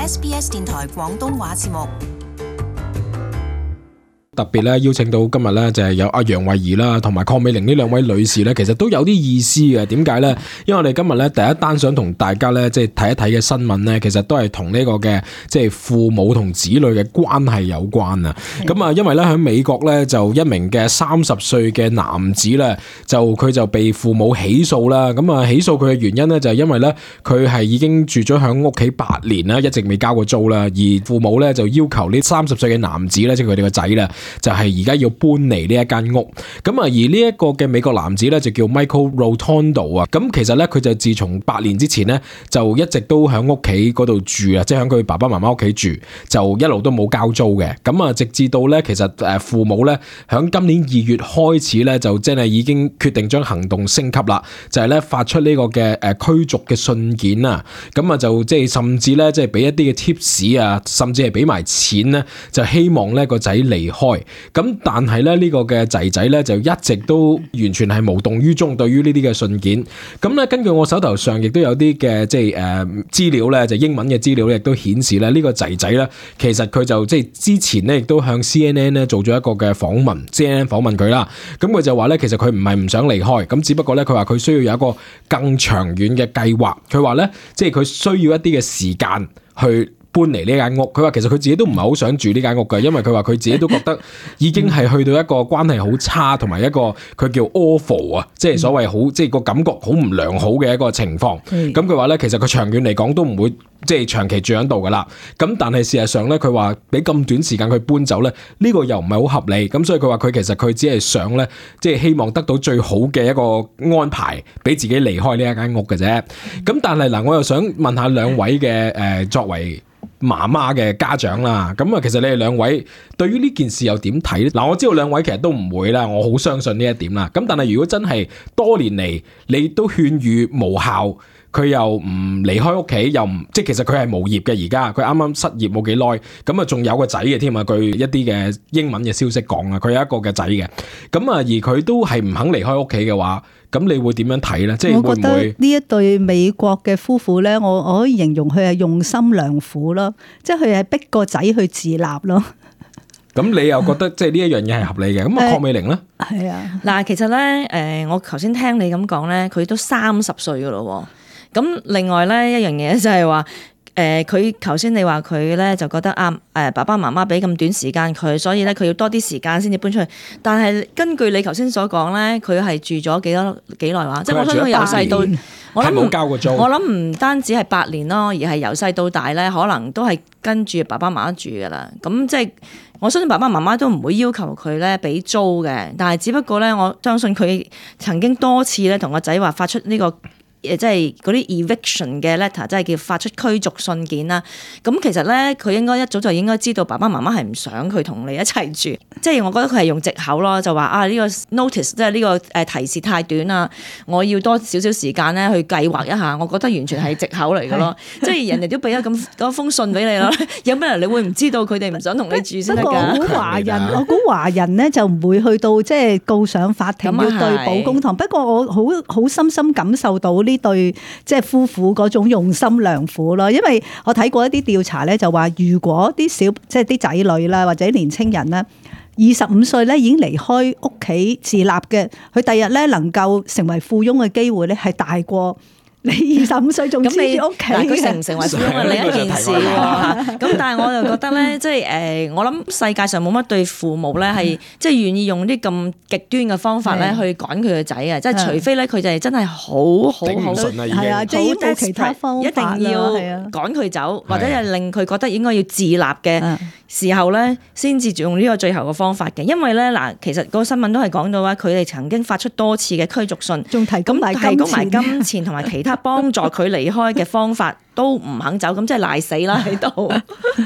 SBS 電台廣東話節目。特別咧邀請到今日咧就係有阿楊慧儀啦，同埋鄺美玲呢兩位女士咧，其實都有啲意思嘅。點解咧？因為我哋今日咧第一單想同大家咧即係睇一睇嘅新聞咧，其實都係同呢個嘅即係父母同子女嘅關係有關啊。咁啊，因為咧喺美國咧就一名嘅30歲嘅男子咧，佢就被父母起訴啦。咁啊，起訴佢嘅原因咧就係因為咧佢係已經住咗喺屋企8年啦，一直未交過租啦，而父母咧就要求呢30歲嘅男子咧，即係佢哋個仔啦，就係而家要搬離呢一間屋，咁啊而呢一個嘅美國男子咧就叫 Michael Rotondo 啊，咁其實咧佢就自從8年之前咧就一直都喺屋企嗰度住啊，即係喺佢爸爸媽媽屋企住，就一路都冇交租嘅，咁啊直至到咧其實父母咧喺今年2月開始咧就真係已經決定將行動升級啦，就係咧發出呢個嘅驅逐嘅信件啊，咁啊就即係甚至咧即係俾一啲嘅 tips 啊，甚至係俾埋錢咧，就希望咧個仔離開。咁但係咧呢個嘅仔仔咧就一直都完全係無動於衷對於呢啲嘅信件。咁咧根據我手頭上亦都有啲嘅即係資料咧，就英文嘅資料咧亦都顯示咧呢個仔仔咧其實佢就即係之前咧亦都向 CNN 咧做咗一個嘅訪問 ，CNN 訪問佢啦。咁佢就話咧其實佢唔係唔想離開，咁只不過咧佢話佢需要有一個更長遠嘅計劃。佢話咧即係佢需要一啲嘅時間去搬離呢間屋，佢話其實佢自己都唔係好想住呢間屋嘅，因為佢話佢自己都覺得已經係去到一個關係好差，同埋一個佢叫 awful 啊，即係所謂好即係個感覺好唔良好嘅一個情況。咁佢話咧，其實佢長遠嚟講都唔會即係長期住喺度噶啦。咁但係事實上咧，佢話俾咁短時間佢搬走咧，呢個又唔係好合理。咁所以佢話佢其實佢只係想咧，即係希望得到最好嘅一個安排，俾自己離開呢一間屋嘅啫。咁但係嗱，我又想問下兩位嘅作為媽媽嘅家長啦，咁啊，其實你哋兩位對於呢件事又點睇咧？嗱，我知道兩位其實都唔會啦，我好相信呢一點啦。咁但係如果真係多年嚟你都勸喻無效，佢又唔離開屋企，又唔即係其實佢係無業嘅，而家佢啱啱失業冇幾耐，咁啊仲有個仔嘅添啊，據一啲嘅英文嘅消息講啊，佢有一個嘅仔嘅，咁啊而佢都係唔肯離開屋企嘅話，咁你會點樣睇咧？即係會唔會？我覺得呢一對美國嘅夫婦咧，我可以形容佢係用心良苦咯，即係佢係逼個仔去自立咯。咁你又覺得即係呢一樣嘢係合理嘅？咁啊，鄺美玲咧？係啊，嗱，其實咧，我頭先聽你咁講咧，佢都30歲噶咯。咁另外咧一樣嘢就係話，佢頭先你話佢咧就覺得爸爸媽媽俾咁短時間佢，所以咧佢要多啲時間先至搬出去。但係根據你頭先所講咧，佢係住咗幾耐話？即係我相信佢由細到我諗冇交過租。我諗唔單止係8年咯，而係由細到大咧，可能都係跟住爸爸媽媽住噶啦。咁即係我相信爸爸媽媽都唔會要求佢咧俾租嘅，但係只不過咧，我相信佢曾經多次咧同個仔話發出呢個。即係嗰啲 eviction 嘅 letter，即係叫發出驅逐信件啦。咁其實咧，佢應該一早就應該知道爸爸媽媽係唔想佢同你一齊住。即係我覺得佢係用藉口咯，就話呢個 notice 即係呢個提示太短啦，我要多少少時間咧去計劃一下。我覺得完全係藉口嚟嘅咯。即係人哋都俾咗咁多封信俾你啦，有咩人你會唔知道佢哋唔想同你住先得㗎？不過我估華人咧就唔會去到即係告上法庭要對簿公堂。不過我好深深感受到呢對即係夫婦嗰種用心良苦咯，因為我睇過一啲調查咧，就話如果啲即係啲仔女啦或者年青人啦，25歲咧已經離開屋企自立嘅，佢第日咧能夠成為富翁嘅機會咧係大過你25歲仲黐住屋企。佢成唔成為富翁係另一件事喎。咁但係我就覺得咧，即係我諗世界上冇乜對父母咧係即係願意用啲咁極端嘅方法咧去趕佢個仔啊！即係除非咧佢就係真係好係啊，即係冇其他方法一定要趕佢走，或者係令佢覺得應該要自立嘅時候咧，先至用呢個最後嘅方法嘅。因為咧嗱，其實個新聞都係講到話，佢哋曾經發出多次嘅驅逐信，仲提供埋金錢同埋其他幫助佢離開嘅方法都唔肯走，咁即係賴死啦喺度。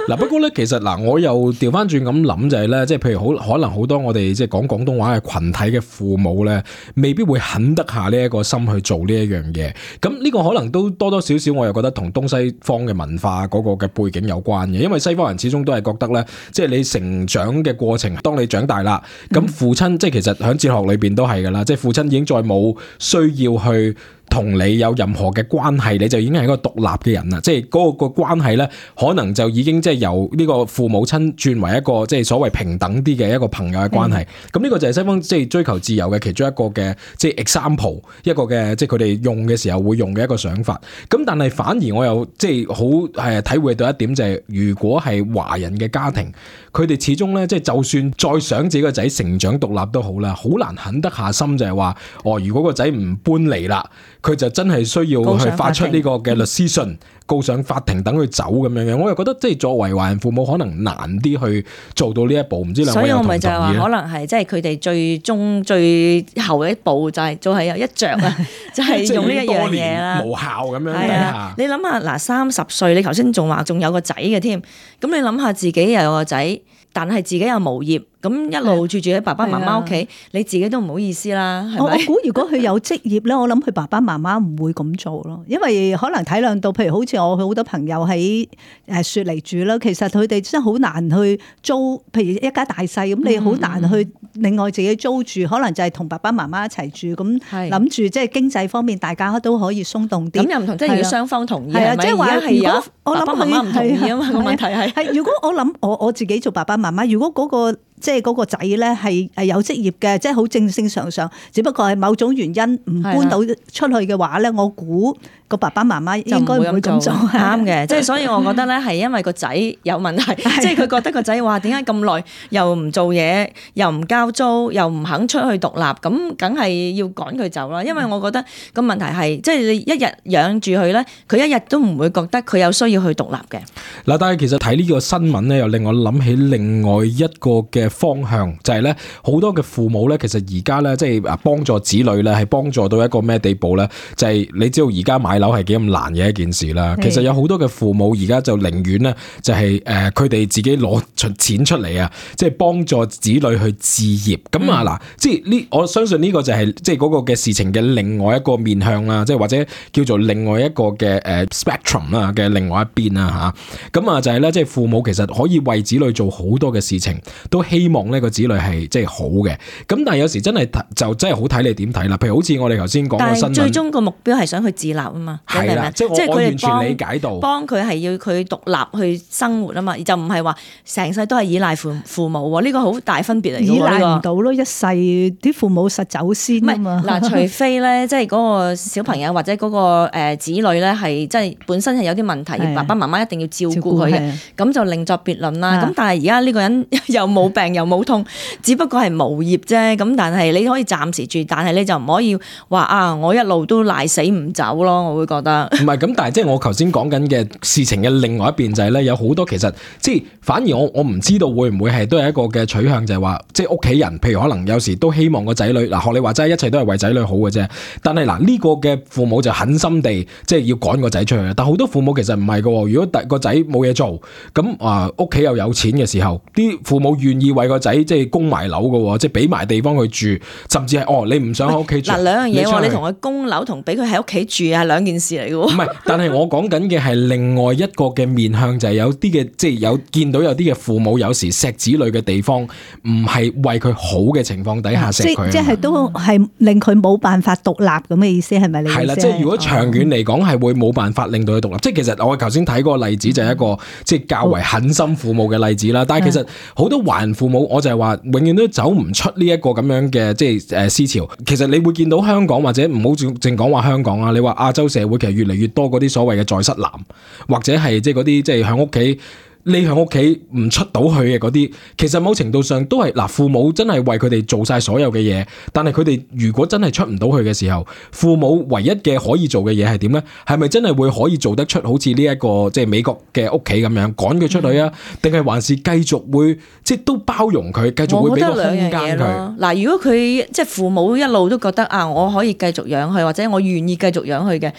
嗱，不過咧，其實嗱，我又調翻轉咁諗就係咧，即係譬如可能好多我哋即係講廣東話嘅群體嘅父母咧，未必會肯得下呢一個心去做呢一樣嘢。咁呢個可能都多多少少，我又覺得同東西方嘅文化嗰個嘅背景有關嘅。因為西方人始終都係覺得咧，即係你成長嘅過程，當你長大啦，咁父親即係其實喺哲學裏邊都係噶啦，即係父親已經再冇需要去同你有任何嘅關係，你就已經係一個獨立嘅人啦。即係嗰個關係咧，可能就已經即係由呢個父母親轉為一個即係所謂平等啲嘅一個朋友嘅關係。咁呢個就係西方即係追求自由嘅其中一個嘅即係 example， 一個嘅即係佢哋用嘅時候會用嘅一個想法。咁但係反而我又即係好係體會到一點就係，如果係華人嘅家庭，佢哋始終咧即係就算再想自己個仔成長獨立都好啦，好難狠得下心就係話，如果個仔唔搬嚟啦，佢就真係需要去發出呢個嘅律師信，告上法庭等佢走咁樣嘅。我又覺得即係作為華人父母可能難啲去做到呢一步，唔知兩位有同唔同意咧？所以我咪就係話可能係即係佢哋最後一步就係有一着啊，就係用呢一樣嘢啦，無效咁樣。係啊，你諗下嗱，30歲你頭先仲話仲有個仔嘅添，咁你諗下自己又有個仔，但係自己又無業。咁一路住喺爸爸媽媽屋企，你自己都唔好意思啦，係咪？我估如果佢有職業咧，我諗佢爸爸媽媽唔會咁做咯，因為可能體諒到，譬如好似我好多朋友喺雪梨住啦，其實佢哋真係好難去租，譬如一家大細咁，你好難去另外自己租住，可能就係同爸爸媽媽一齊住，咁諗住即係經濟方面大家都可以鬆動啲。咁又唔同，即係要雙方同意係咪？即係話如果我諗爸爸媽媽唔同意啊嘛，個問題係如果我諗我自己做爸爸媽媽，如果嗰個即係嗰個仔咧係有職業嘅，即係好正常，只不過係某種原因唔搬到出去嘅話咧，我估個爸爸媽媽應該唔會咁做。啱嘅，即係所以我覺得咧係因為個仔有問題，即係佢覺得個仔話點解咁耐又唔做嘢，又唔交租，又唔肯出去獨立，咁梗係要趕佢走啦。因為我覺得個問題係即係你一日養住佢咧，佢一日都唔會覺得佢有需要去獨立嘅。嗱，但係其實睇呢個新聞咧，又令我諗起另外一個嘅方向，就係咧好多嘅父母咧，其實而家咧即係幫助子女咧，係幫助到一個咩地步咧？就係你知道而家買樓係幾咁難嘅一件事啦。其實有好多嘅父母而家就寧願咧，就係佢哋自己攞出錢出嚟啊，即係幫助子女去置業。咁啊嗱，即係呢，我相信呢個就係即係嗰個嘅事情嘅另外一個面向啦，即係或者叫做另外一個嘅spectrum 啦嘅另外一邊啦嚇。咁啊就係咧，即係父母其實可以為子女做好多嘅事情，都希望呢個子女係即係好嘅。咁但係有時真係就真係好睇你點睇啦。譬如好似我哋頭先講個新聞，但係最終個目標係想去自立啊嘛。係啦，即係我完全理解到，幫佢係要佢獨立去生活啊嘛，就唔係話成世都係依賴父母喎。呢個好大分別嚟嘅喎。依賴唔到咯，一世啲父母實走先啊嘛。嗱，除非咧，即係嗰個小朋友或者嗰個子女咧係即係本身係有啲問題，爸爸媽媽一定要照顧佢嘅，咁就另作別論啦。咁但係而家呢個人又冇病又冇痛，只不過係無業啫。咁但係你可以暫時住，但係你就唔可以話啊，我一路都賴死唔走咯。我會覺得唔係咁，但係即係我頭先講緊嘅事情嘅另外一邊就係咧，有好多其實即係反而我唔知道會唔會係都係一個嘅取向，就係話即係屋企人，譬如可能有時都希望個仔女嗱，學你話齋，一切都係為仔女好嘅啫。但係嗱呢個嘅父母就狠心地即係要趕個仔出去，但好多父母其實唔係㗎。如果個仔冇嘢做，咁屋企又有錢嘅時候，啲父母願意為個仔即係供埋樓㗎，即係俾埋地方佢住，甚至係你唔想喺屋企住。嗱兩樣嘢喎，你同佢供樓同俾佢喺屋企住係兩件事嚟嘅喎。唔係，但係我講緊嘅係另外一個嘅面向，就係有啲嘅即係有見到有啲嘅父母有時錫子女嘅地方，唔係為佢好嘅情況底下錫佢。即係都係令佢冇辦法獨立咁嘅意思，係咪你意思？係啦，即係如果長遠嚟講係會冇辦法令到佢獨立。即係其實我頭先睇嗰個例子就係一個即係較為狠心父母嘅例子啦。但係其實好多華人父母，我就係話永遠都走唔出呢一個咁樣嘅即係思潮。其實你會見到香港或者唔好淨講話香港啊，你話亞洲社會其實越嚟越多嗰啲所謂嘅在室男，或者係即係嗰啲即係喺屋企匿喺屋企唔出到去嘅嗰啲，其實某程度上都係嗱，父母真係為佢哋做晒所有嘅嘢，但係佢哋如果真係出唔到去嘅時候，父母唯一嘅可以做嘅嘢係點咧？係咪真係會可以做得出好似呢一個即係美國嘅屋企咁樣趕佢出去啊？定係還是繼續會即係都包容佢，繼續會俾個空間佢？嗱，如果佢即係父母一路都覺得啊，我可以繼續養佢，或者我願意繼續養佢嘅。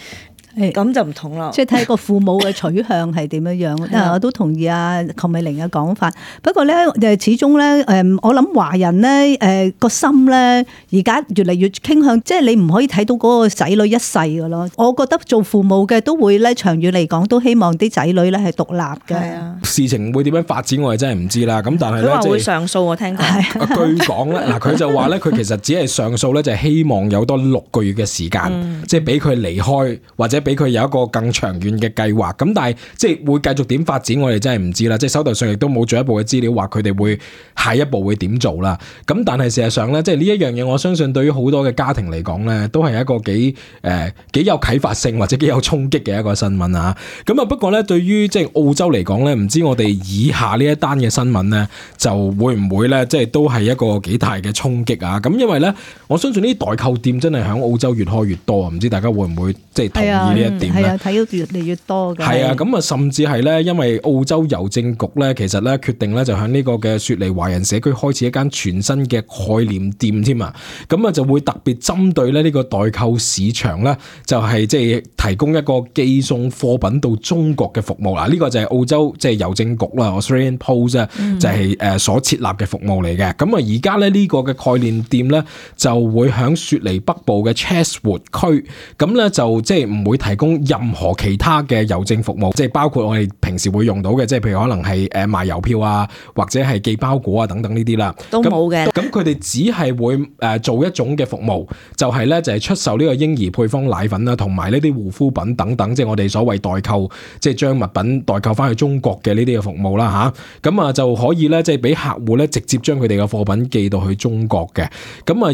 咁就唔同啦。即係睇個父母嘅取向係點樣樣。我都同意阿鄺美玲嘅講法。不過咧，始終咧，我諗華人咧，個心咧，而家越嚟越傾向，即係你唔可以睇到嗰個仔女一世噶咯。我覺得做父母嘅都會咧，長遠嚟講都希望啲仔女咧係獨立嘅。係啊，事情會點樣發展我哋真係唔知啦。咁但係咧，佢話會上訴，我聽講。據講咧，嗱佢就話咧，佢其實只係上訴咧，就係希望有多6個月嘅時間，即係俾佢離開，或者俾佢有一個更長遠嘅計劃。咁但係即係會繼續點發展，我哋真係唔知啦。即係手頭上亦都冇進一步嘅資料話佢哋會下一步會點做啦。咁但係事實上咧，即係呢一樣嘢，我相信對於好多嘅家庭嚟講咧，都係一個幾有啟發性或者幾有衝擊嘅一個新聞啊。咁啊，不過咧，對於即係澳洲嚟講咧，唔知我哋以下呢一單嘅新聞咧，就會唔會咧，即係都係一個幾大嘅衝擊啊？咁因為咧，我相信呢啲代購店真係喺澳洲越開越多啊！唔知大家會唔會即係同意呢一點咧？係啊，睇到越嚟越多嘅。係啊，咁啊，甚至係咧，因為澳洲郵政局咧，其實咧決定咧就喺呢個嘅雪梨華人社區開始一間全新嘅概念店添啊！咁啊就會特別針對咧呢個代購市場咧，就係即係提供一個寄送貨品到中國嘅服務啦。呢個就係澳洲即係郵政局啦 ，Australian Post 啊，就係所設立嘅服務嚟嘅。咁啊而家咧呢個嘅概念店咧就會喺雪梨北部嘅 Chatswood 區，咁咧就即係唔會提供任何其他嘅郵政服務，即係包括我哋平時會用到嘅，即係譬如可能係賣郵票啊，或者係寄包裹啊等等呢啲啦，都冇嘅。咁佢哋只係會做一種嘅服務，就係咧就係出售呢個嬰兒配方奶粉啦，同埋呢啲護膚品等等，即係我哋所謂代購，即係將物品代購翻去中國嘅呢啲嘅服務啦吓。咁啊就可以咧即係俾客戶咧直接將佢哋嘅貨品寄到去中國嘅。咁啊而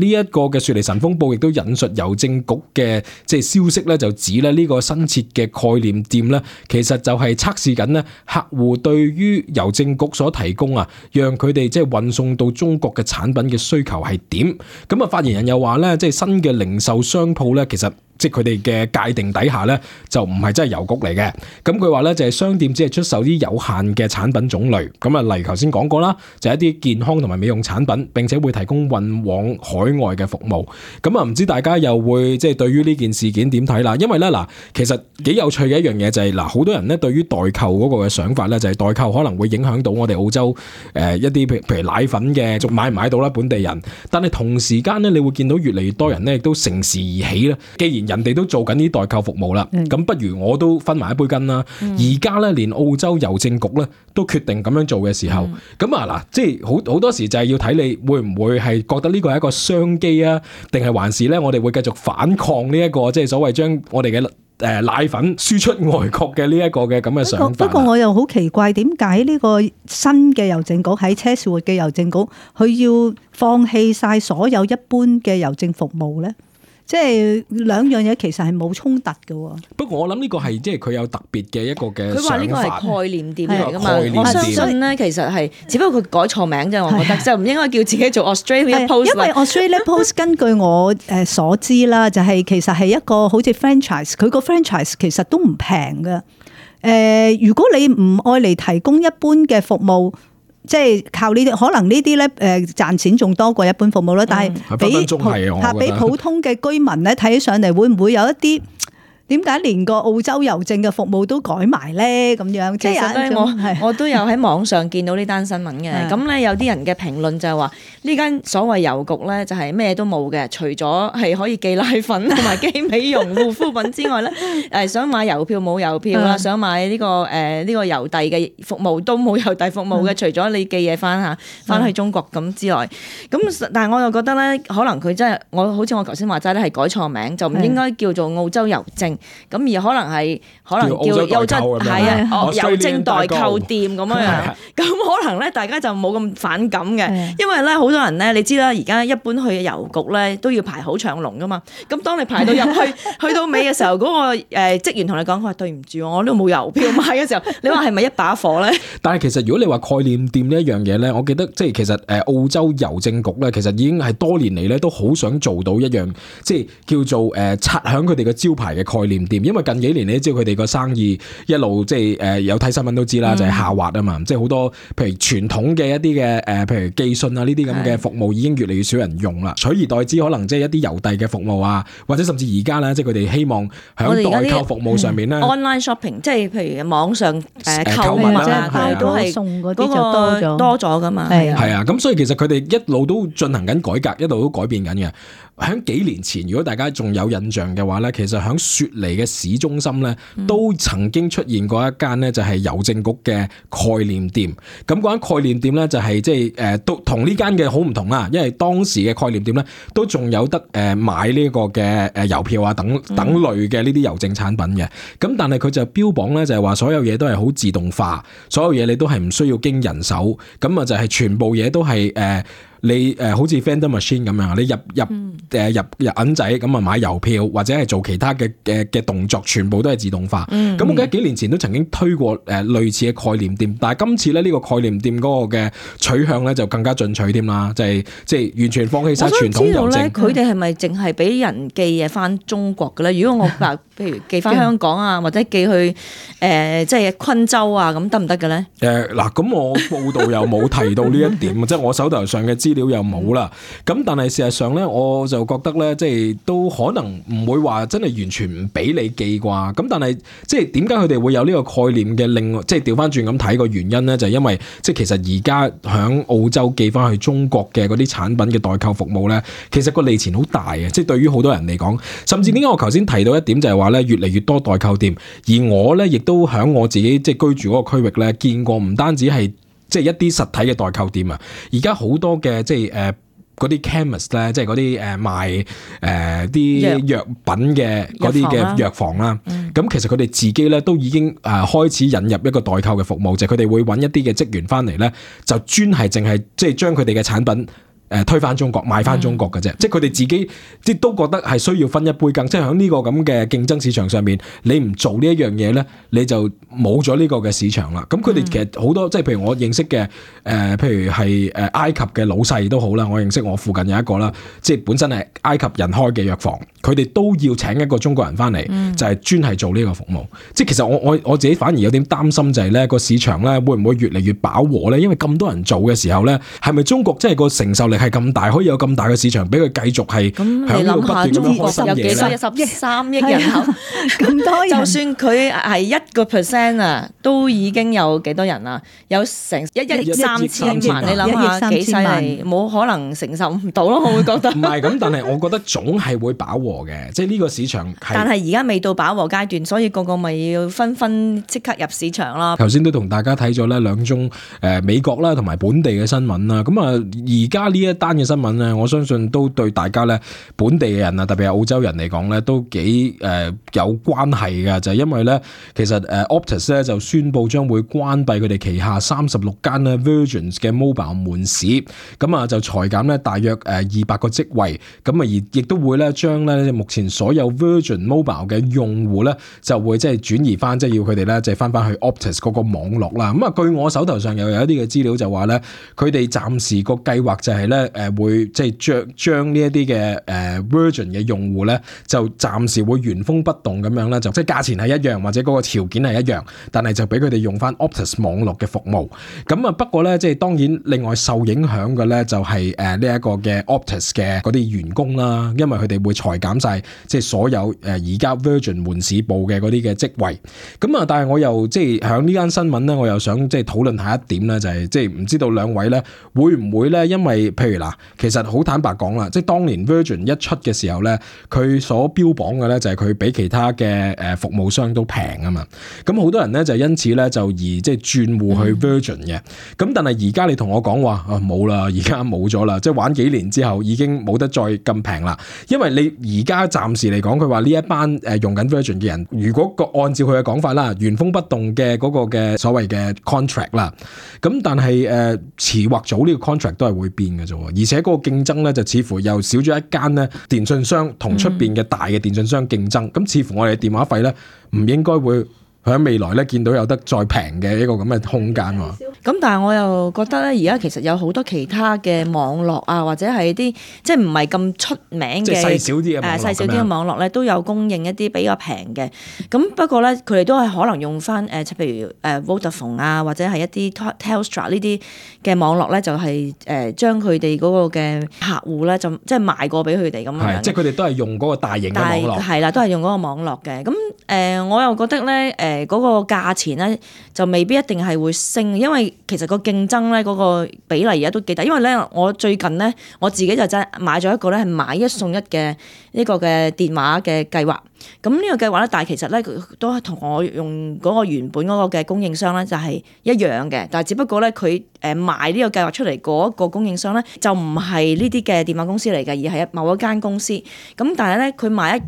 呢一個嘅雪梨晨鋒報亦都引述郵政局嘅即係消息咧，就指咧呢個新設嘅概念店咧，其實就係測試緊咧客戶對於郵政局所提供啊，讓佢哋即係運送到中國嘅產品嘅需求係點。咁啊發言人又話咧，即係新嘅零售商鋪咧，其實即係佢哋嘅界定底下咧，就唔係真係郵局嚟嘅。咁佢話咧就係商店只係出售啲有限嘅產品種類。咁啊，例如頭先講過啦，就係一啲健康同埋美容產品，並且會提供運往海外嘅服務。咁啊，唔知大家又會即係對於呢件事件點睇啦？因為咧嗱，其實幾有趣嘅一樣嘢就係嗱，好多人咧對於代購嗰個嘅想法咧，就係代購可能會影響到我哋澳洲一啲譬如奶粉嘅，仲買唔買到啦本地人。但係同時間咧，你會見到越嚟越多人咧亦都乘時而起啦。既然人哋都做緊啲代購服務啦，咁不如我都分埋一杯羹啦。而家咧連澳洲郵政局咧都決定咁樣做嘅時候，咁啊嗱，即係好多時就係要睇你會唔會係覺得呢個係一個商機啊，定係還是咧我哋會繼續反抗呢一個即係所謂將我哋嘅奶粉輸出外國嘅呢一個嘅咁嘅想法。不過我又好奇怪，點解呢個新嘅郵政局喺車士活嘅郵政局，佢要放棄晒所有一般嘅郵政服務咧？即係兩樣嘢其實係冇衝突嘅。不過我諗呢個係即係佢有特別嘅一個嘅想法。佢話呢個係概念店嚟㗎嘛，我相信咧其實係只不過佢改錯名啫，我覺得就唔應該叫自己做 Australia Post。因為 Australia Post 根據我所知啦，就係其實係一個好似 franchise， 佢個 franchise 其實都唔平㗎。如果你唔愛嚟提供一般嘅服務，即係靠呢啲，可能呢啲咧賺錢仲多過一般服務啦。但係俾普通嘅居民咧睇起上嚟，會唔會有一啲點解連個澳洲郵政嘅服務都改埋咧？咁樣即係咧，我都有喺網上見到呢單新聞嘅。咁咧有啲人嘅評論就係話呢間所謂郵局咧就係咩都冇嘅，除咗係可以寄奶粉同埋寄美容護膚品之外咧，想買郵票冇郵票啦，想買呢個郵遞嘅服務都冇郵遞服務嘅，除咗你寄嘢翻去中國咁之外。咁但係我又覺得咧，可能佢真係好似我頭先話齋咧係改錯名，就唔應該叫做澳洲郵政。咁而可能叫郵政郵政代購店咁樣，咁可能咧大家就冇咁反感嘅，因為咧好多人咧，你知啦，而家一般去郵局咧都要排好長龍噶嘛，咁當你排到入去到尾嘅時候，嗰個職員同你講，佢話對唔住，我呢度冇郵票買嘅時候，你話係咪一把火咧？但係其實如果你話概念店呢一樣嘢咧，我記得即係其實澳洲郵政局咧，其實已經係多年嚟咧都好想做到一樣，即係叫做擦響佢哋嘅招牌嘅概念店，因為近幾年你知道佢哋個生意一路即係有睇新聞都知啦，就係下滑啊嘛，即係好多譬如傳統嘅一啲嘅譬如寄信啊呢啲咁嘅服務已經越嚟越少人用啦，取而代之可能即係一啲郵遞嘅服務啊，或者甚至而家咧即係佢哋希望喺代購服務上面咧，online shopping 即係譬如網上購物啊，佢都係送嗰啲就多咗噶嘛，係啊，咁所以其實佢哋一路都進行緊改革，一路都改變緊嘅。喺幾年前，如果大家仲有印象嘅話咧，其實喺雪梨嘅市中心咧，都曾經出現過一間咧，就係郵政局嘅概念店。咁嗰間概念店咧，就係即係都同呢間嘅好唔同啦，因為當時嘅概念店咧，都仲有得買呢個嘅郵票啊等類嘅呢啲郵政產品嘅。咁但係佢就標榜咧，就係話所有嘢都係好自動化，所有嘢你都係唔需要經人手，咁啊就係全部嘢都係你好似 vending machine 咁樣，你入銀仔咁啊買郵票或者係做其他嘅動作，全部都係自動化。咁我記得幾年前都曾經推過類似嘅概念店，但係今次咧呢個概念店嗰個嘅取向咧就更加進取添啦，就係即係完全放棄晒傳統郵政。佢哋係咪淨係俾人寄嘢翻中國嘅咧？如果我話譬如寄翻香港啊，或者寄去即係昆州啊，咁得唔得嘅咧？嗱，咁我報道又冇提到呢一點，即係我手頭上嘅資料又冇啦。咁但係事實上咧，我就覺得咧，即係都可能唔會話真係完全唔俾你寄啩。咁但係即係點解佢哋會有呢個概念嘅？另外即係調翻轉咁睇個原因咧，就係因為即係其實而家響澳洲寄翻去中國嘅嗰啲產品嘅代購服務咧，其實個利錢好大嘅。即係對於好多人嚟講，甚至點解我頭先提到一點就係話咧，越嚟越多代購店，而我咧亦都響我自己即係居住嗰個區域咧，見過唔單止係即係一啲實體嘅代購店啊，而家好多嘅即係嗰啲 chemist 咧，即係嗰啲賣啲藥品嘅嗰啲嘅藥房啦。咁其實佢哋自己咧都已經開始引入一個代購嘅服務，就係佢哋會揾一啲嘅職員翻嚟咧，就專係淨係即係將佢哋嘅產品推翻中國賣翻中國嘅啫，即係佢哋自己即都覺得係需要分一杯羹，即係喺呢個咁嘅競爭市場上面，你唔做呢一樣嘢咧，你就冇咗呢個嘅市場啦。咁佢哋其實好多即係譬如我認識嘅譬如係埃及嘅老細都好啦，我認識我附近有一個啦，即係本身係埃及人開嘅藥房，佢哋都要請一個中國人翻嚟，就係專係做呢個服務。即係其實我自己反而有點擔心就係咧個市場咧會唔會越嚟越飽和咧？因為咁多人做嘅時候咧，係咪中國真係個承受力係咁大，可以有咁大嘅市場俾佢繼續係響度不斷咁開新嘢咧？有13億人口，咁多人，就算佢係1%啊，都已經有幾多人啊？有成1億3千萬，你諗下幾犀利？冇可能承受唔到咯，我會覺得。唔係咁，但係我覺得總係會飽和嘅，即係呢個市場係。但係而家未到飽和階段，所以個咪要紛紛即刻入市場啦。頭先都同大家睇咗咧兩宗美國啦同埋本地嘅新聞啦，咁啊而家呢一單嘅新聞咧，我相信都對大家咧本地嘅人啊，特別係澳洲人嚟講咧，都幾有關係嘅，就係因為咧其實Optus 咧就宣布將會關閉佢哋旗下36間咧 Virgin 嘅 mobile 門市，咁啊就裁減咧大約200個職位，咁啊而亦都會咧將咧目前所有 Virgin Mobile 嘅用戶咧就會即係轉移翻，即係要佢哋咧即係翻去 Optus 嗰個網絡啦。咁啊據我手頭上又有一啲嘅資料就話咧，佢哋暫時個計劃就係咧會即係將呢一啲嘅Virgin 嘅用戶咧就暫時會原封不動咁樣咧，就即係價錢係一樣或者嗰個條件係一樣，但係就俾佢哋用翻 Optus 網絡嘅服務。咁啊不過咧即係當然另外受影響嘅咧就係呢一個嘅 Optus 嘅嗰啲員工啦，因為佢哋會裁減晒即係所有而家 Virgin 門市部嘅嗰啲嘅職位。咁啊但係我又即係響呢間新聞咧，我又想即係討論下一點咧，就係即係唔知道兩位咧會唔會咧因為譬如嗱，其實好坦白講啦，即係當年 Virgin 一出嘅時候咧，佢所標榜嘅咧就係佢比其他嘅服務商都平啊嘛。咁好多人咧就因此咧就而即係轉戶去 Virgin 嘅。咁但係而家你同我講話冇啦，而家冇咗啦，即係玩幾年之後已經冇得再咁平啦。因為你而家暫時嚟講，佢話呢一班用緊 Virgin 嘅人，如果按照佢嘅講法啦，原封不動嘅嗰個嘅所謂嘅 contract 啦，咁但係遲或早呢個 contract 都係會變嘅啫。而且嗰個競爭咧就似乎又少咗一間咧電信商同出邊嘅大嘅電信商競爭，咁似乎我哋電話費咧唔應該會喺未來咧見到有得再平嘅一個咁嘅空間喎。咁但係我又覺得咧，而家其實有好多其他嘅網絡啊，或者係啲即係唔係咁出名嘅，即係細小啲嘅網絡，細小啲嘅網絡咧，都有供應一啲比較平嘅。咁不過咧，佢哋都係可能用翻譬如Vodafone 啊，或者係一啲 Telstra 呢啲嘅網絡咧，就係將佢哋嗰個嘅客戶咧，就即係賣過俾佢哋咁樣。係，即係佢哋都係用嗰個大型嘅網絡。係啦，都係用嗰個網絡嘅。咁我又覺得咧，嗰個價錢咧就未必一定係會升，因為其實個競爭咧嗰個比例而家都幾大。因為咧，我最近咧我自己就真係買咗一個咧係買一送一嘅呢個嘅電話嘅計劃。咁呢個計劃咧，但係其實咧都係同我用嗰個原本嗰個嘅供應商咧就係一樣嘅，但係只不過咧佢賣呢個計劃出嚟嗰個供應商咧就唔係呢啲嘅電話公司嚟嘅，而係某一間公司。咁但係咧佢買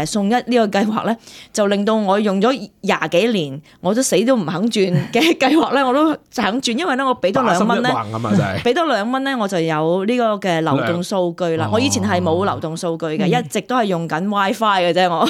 送一呢個計劃咧，就令到我用咗20幾年，我都死都唔肯轉嘅計劃咧，我都肯轉，因為咧我俾多2蚊咧，俾多2蚊咧，我就有呢個嘅流動數據啦。我以前係冇流動數據嘅，一直都係用緊 WiFi 嘅啫，我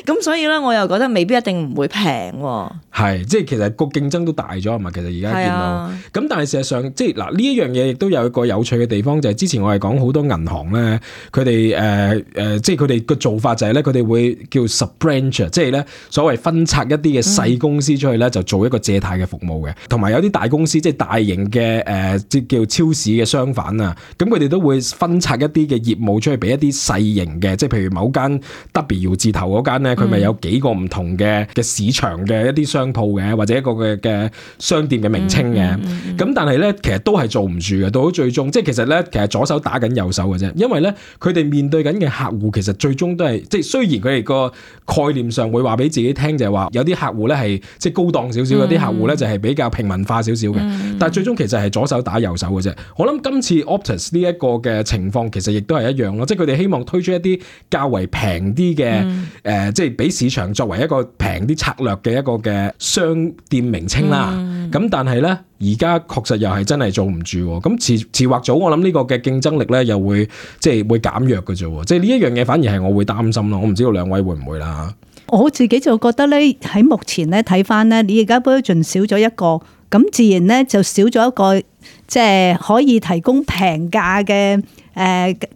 咁所以咧，我又覺得未必一定唔會平喎。係，即係其實個競爭都大咗啊嘛。其實而家見到，咁但係事實上，即係嗱呢一樣嘢亦都有一個有趣嘅地方，就係之前我係講好多銀行咧，佢哋即係佢哋個做法就係咧，佢哋會叫 sub-branch， 即係咧所謂分拆一啲嘅細公司出去咧，就做一個借貸嘅服務嘅。同埋有啲大公司，即係大型嘅即叫超市嘅商販啊，咁佢哋都會分拆一啲嘅業務出去俾一啲細型嘅，即係譬如某間 W 字頭嗰間咧，佢咪有幾個唔同嘅市場嘅一啲商鋪嘅，或者一個嘅商店嘅名稱嘅。咁但係咧，其實都係做唔住嘅，到最終即係其實咧，其實左手打緊右手嘅啫，因為咧佢哋面對緊嘅客戶其實最終都係即係雖然佢哋個概念上會話俾自己聽，就係話有啲客戶咧係即係高檔少少，有啲客戶咧就係比較平民化少少嘅，但係最終其實係左手打右手嘅啫。我諗今次 Optus 呢一個嘅情況其實亦都係一樣咯，即係佢哋希望推出一啲較為平啲嘅即係俾市場作為一個平啲策略嘅一個嘅商店名稱啦。咁但係咧而家確實又係真係做唔住，咁遲或早我諗呢個嘅競爭力咧又會即係會減弱嘅啫。即係呢一樣嘢反而係我會擔心咯。我唔知道兩位會唔會啦。我自己就覺得咧，喺目前咧睇翻咧，你而家 Virgin 少咗一個，咁自然咧就少咗一個即係可以提供平價嘅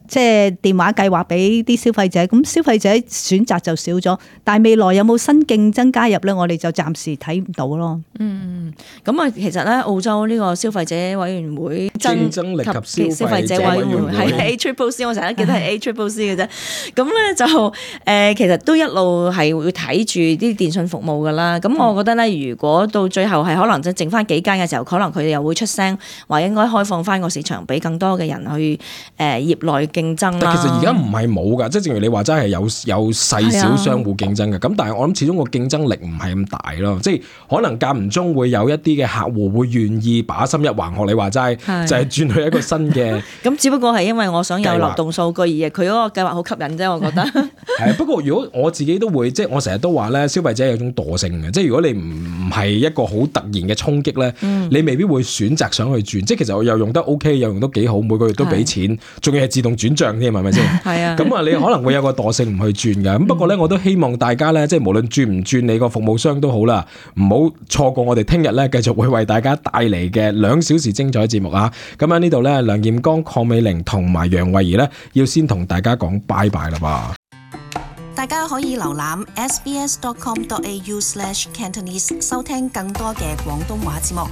即係電話計劃俾啲消費者，咁消費者選擇就少咗。但係未來有冇新競爭加入咧？我哋就暫時睇唔到咯。咁啊，其實咧澳洲呢個消費者委員會競爭力及消費者委員會係 ACCC， 我成日記得係 ACCC 嘅啫。咁咧就其實都一路係會睇住啲電訊服務噶啦。咁我覺得咧，如果到最後係可能即剩翻幾間嘅時候，可能佢哋又會出聲話應該開放翻個市場俾更多嘅人去業內競爭啦。但其實而家唔係冇㗎，即係正如你話齋係有細小商戶競爭嘅。咁但係我諗始終個競爭力唔係咁大咯。即係可能間唔中會有一啲嘅客戶會願意把心一橫，學你話齋，就係轉去一個新嘅。咁只不過係因為我想有流動數據，而佢嗰個計劃好吸引啫。我覺得係不過如果我自己都會，即係我成日都話咧，消費者有種惰性嘅。即係如果你唔係一個好突然嘅衝擊咧，你未必會選擇想去轉。即係其實我又用得 OK，又用得幾好，每個月都俾錢，仲要係自動轉帳添，係咪先？係啊。咁啊，你可能會有個惰性唔去轉㗎。咁不過咧，我都希望大家咧，即係無論轉唔轉你個服務商都好啦，唔好錯過我哋聽日咧繼續會為大家帶嚟嘅2小時精彩節目啊！咁喺呢度咧，梁彥剛、鄺美玲同埋楊慧儀咧，要先同大家講拜拜啦噃。大家可以瀏覽 sbs.com.au/cantonese 收聽更多嘅廣東話節目。